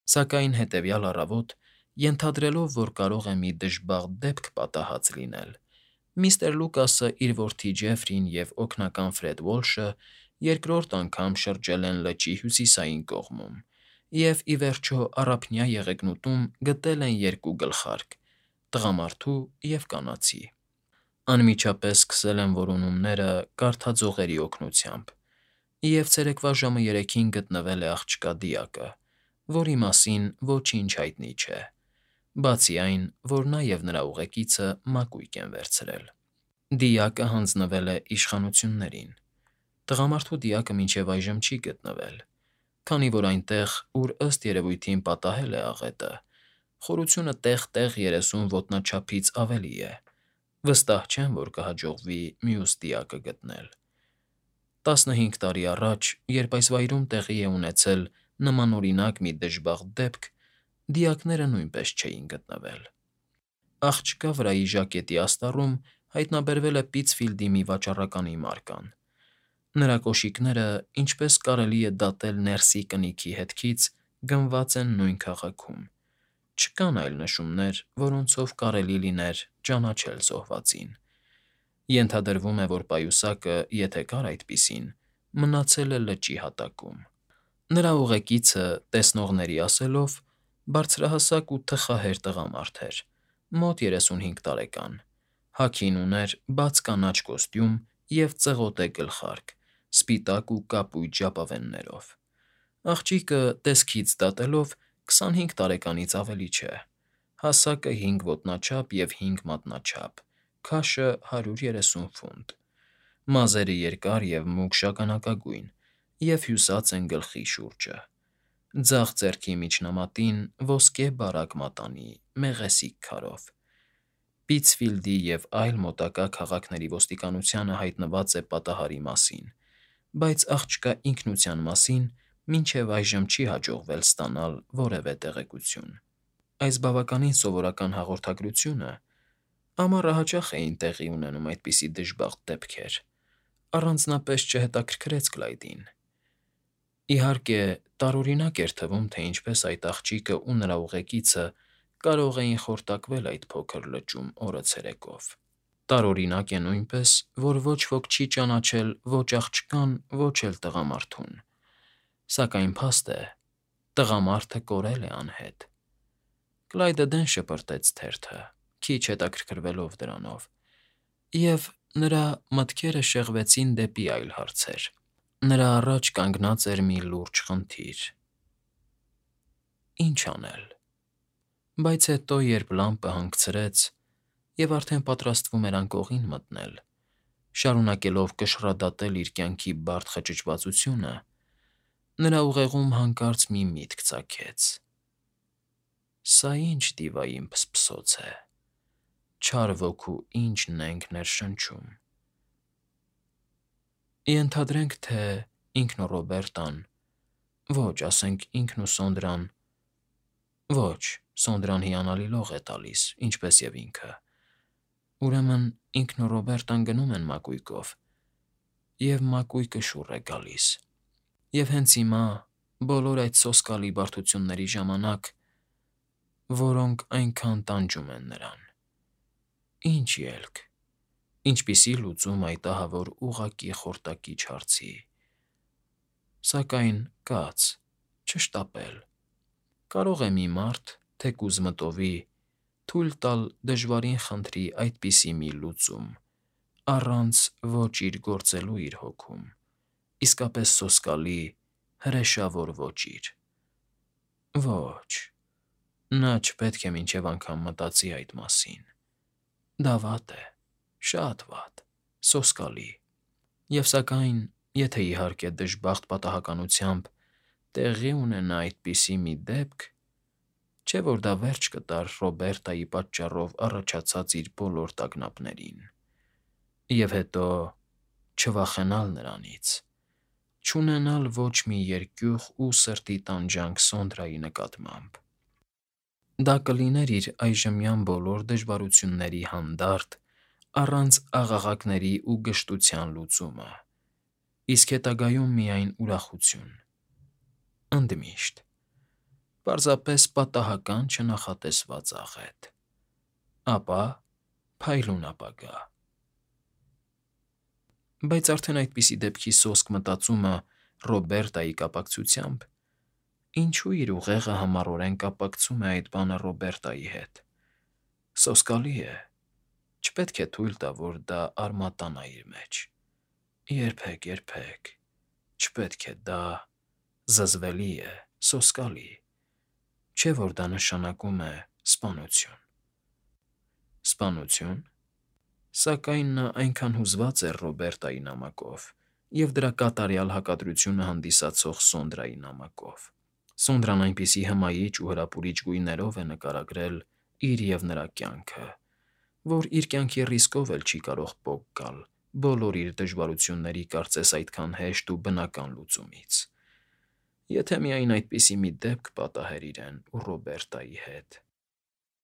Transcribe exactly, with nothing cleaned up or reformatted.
Սակայն հետևյալ առավոտ, ենթադրելով, որ կարող է մի դժբախտ դեպք պատահած լինել, միստր Լուկասը, իր որդի Ջեֆրին և օգնական Ֆրեդ Ուոլշը երկրորդ անգամ շրջել են լճի հյուսիսային կողմում և, ի վերջո, առափնյա եղեգնուտում գտել են երկու գլխարկ՝ տղամարդու և կանացի։ Անմիջապես սկսել են որոնումները կարդաձողերի օգնությամբ, և ցերեկվա ժամը երեքին գտնվել է աղջկա դիակը, որի մասին ոչինչ հայտնի չէ, բացի այն, որ նա և նրա ուղեկիցը մակույկ են վերցրել։ Դիակը հանձնվել է իշխանություններին։ Տղամարդու դիակը մինչև այժմ չի գտնվել, քանի որ այնտեղ, ուր ըստ երևույթին պատահել է աղետը, խորությունը տեղ֊տեղ երեսուն ոտնաչափից ավելի է, վստահ չեմ, որ կհաջողվի մյուս դիակը գտնել։ Տասնհինգ տարի առաջ, երբ այս վայրում տեղի է ունեցել նմանօրինակ մի դժբախտ դեպք, դիակները նույնպես չէին գտնվել։ Աղջկա վրայի ժակետի աստառում հայտնաբերվել է Պիթսֆիլդի մի վաճառականի մարկան։ Նրա կոշիկները, ինչպես կարելի է դատել ներսի կնիքի հետքից, գնված են նույն քաղաքում։ Չկան այլ նշումներ, որոնցով կարելի լիներ ճանաչել զոհվածին։ Ենթադրվում է, որ պայուսակը, եթե կար այդպիսին, մնացել է լճի հատակում։ Նրա ուղեկիցը, տեսնողների ասելով, բարձրահասակ ու թխահեր տղամարդ էր, մոտ երեսունհինգ տարեկան, հագին ուներ բաց կանաչ կոստյում և ծղոտե գլխարկ՝ սպիտակ ու կապույտ ժապավեններով։ Աղջիկը, տեսքից դատելով, քսանհինգ տարեկանից ավելի չէ, հասակը հինգ ոտնաչափ և հինգ մատնաչափ, քաշը հարյուր երեսուն ֆունտ։ Մազերը երկար և մուգ շագանակագույն և հյուսած են գլխի շուրջը։ Ձախ ձեռքի միջնամատին ոսկե բարակ մատանի՝ մեղեսիկ քարով։ Պիթսֆիլդի և այլ մոտակա քաղաքների ոստիկանությանը հայտնված է պատահարի մասին, բայց աղջկա ինքնության մասին մինչև այժմ չի հաջողվել ստանալ որևէ տեղեկություն։ Այս բավականին սովորական հաղորդագրությունը (ամառը հաճախ էին տեղի ունենում այդպիսի դժբախտ դեպքեր) առանձնապես չհետաքրքրեց Կլայդին։ Իհարկե, տարօրինակ էր թվում, թե ինչպես այդ աղջիկն ու նրա ուղեկիցը կարող էին խորտակվել այդ փոքր լճում օրը ցերեկով։ Տարօրինակ է նույնպես, որ ոչ ոք չի ճանաչել ո՛չ աղջկան, ո՛չ էլ տղամարդուն։ Սակայն փաստ է, տղամարդը կորել է անհետ։ Կլայդը դեն շպրտեց թերթը, քիչ հետաքրքրվելով դրանով, և նրա մտքերը շեղվեցին դեպի այլ հարցեր։ Նրա առաջ կանգնած էր մի լուրջ խնդիր. ի՞նչ անել։ Բայց հետո, երբ լամպը հանգցրեց և արդեն պատրաստվում էր անկողին մտնել, շարունակելով կշռադատել իր կյանքի բարդ խճճվածությունը, նրա ուղեղում հանկարծ մի միտք ծագեց. «Սա ի՞նչ դիվային փսփսոց է, չար ոգու ի՞նչ նենգ ներշնչում։ Ենթադրենք, թե ինքն ու Ռոբերտան, ոչ, ասենք ինքն ու Սոնդրան, ոչ, Սոնդրան հիանալի լող է տալիս, ինչպես և ինքը, ուրեմն ինքն ու Ռոբերտան գնում են մակույկով, և մակույկը շուռ է գալիս։ Եվ հենց հիմա, բոլոր այդ սոսկալի բարդությունների ժամանակ, որոնք այնքան տանջում են նրան, ի՞նչ ելք, ինչպիսի՞ լուծում այդ ահավոր ուղղակի խորտակիչ հարցի։ Սակայն կաց, չշտապել։ Կարող է մի մարդ, թեկուզ մտովի, թույլ տալ դժվարին խնդրի այդպիսի մի լուծում, առանց ոչ իր գործելու իր հոգում, իսկապես սոսկալի, հրեշավոր ոճիր։ Ոչ, նա չպետք է մինչև անգամ մտածի այդ մասին։ Դա վատ է, շատ վատ, սոսկալի։ Եվ սակայն, եթե իհարկե դժբախտ պատահականությամբ տեղի ունենա այդպիսի մի դեպք, չէ՞ որ դա վերջ կտար Ռոբերտայի պատճառով առաջացած իր բոլոր տագնապներին։ Եվ հետո, չվախենալ նրանից, չունենալ ոչ մի երկյուղ ու սրտի տանջանք Սոնդրայի նկատմամբ։ Դա կլիներ իր այժմյան բոլոր դժվարությունների հանդարտ, առանց աղաղակների ու գժտության լուծումը, իսկ հետագայում միայն ուրախություն, ընդմիշտ։ Պարզապես պատահական չնախատեսված աղետ։ Ապա փայլուն ապագա։ Բայց արդեն այդպիսի դեպքի սոսկ մտածումը Ռոբերտայի կապակցությամբ… Ինչու իր ուղեղը համառորեն կապակցում է այդ բանը Ռոբերտայի հետ… Սոսկալի է, չպետք է թույլ տա, որ դա արմատանա իր մեջ… Երբեք, երբեք… Չպետք է, դա… զզվելի է, սոսկալի… Չէ՞ որ դա նշանակում է սպանություն… Սպանությո՞ւն… Սակայն նա այնքան հուզված էր Ռոբերտայի նամակով և դրա կատարյալ հակադրությունը հանդիսացող Սոնդրայի նամակով… Սոնդրան այնպիսի հմայիչ ու հրապուրիչ գույներով է նկարագրել իր և նրա կյանքը, որ իր կյանքի ռիսկով էլ չի կարող պոկ գալ բոլոր իր դժվարությունների կարծես այդքան հեշտ ու բնական լուծումից… Եթե միայն այդպիսի մի դեպք պատահեր իրեն ու Ռոբերտայի հետ…